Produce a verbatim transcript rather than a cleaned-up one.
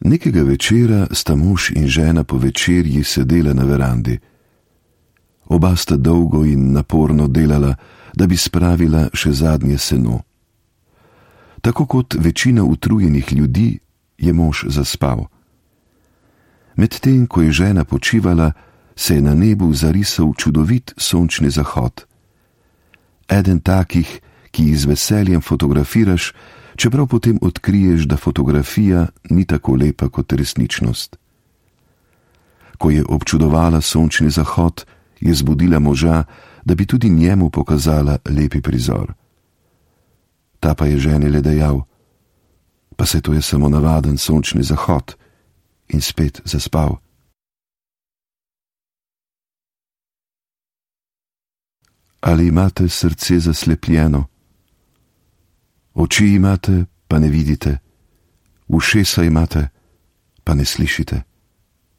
Nekega večera sta mož in žena po večerji sedela na verandi. Oba sta dolgo in naporno delala, da bi spravila še zadnje seno. Tako kot večina utrujenih ljudi, je mož zaspal. Medtem, ko je žena počivala, se je na nebu zarisal čudovit sončni zahod. Eden takih, ki jih z veseljem fotografiraš, čeprav potem odkriješ, da fotografija ni tako lepa kot resničnost. Ko je občudovala sončni zahod, je zbudila moža, da bi tudi njemu pokazala lepi prizor. Ta pa je ženi le dejal: pa se to je samo navaden sončni zahod, in spet zaspal. Ali imate srce zaslepljeno? Oči imate, pa ne vidite, ušesa imate, pa ne slišite.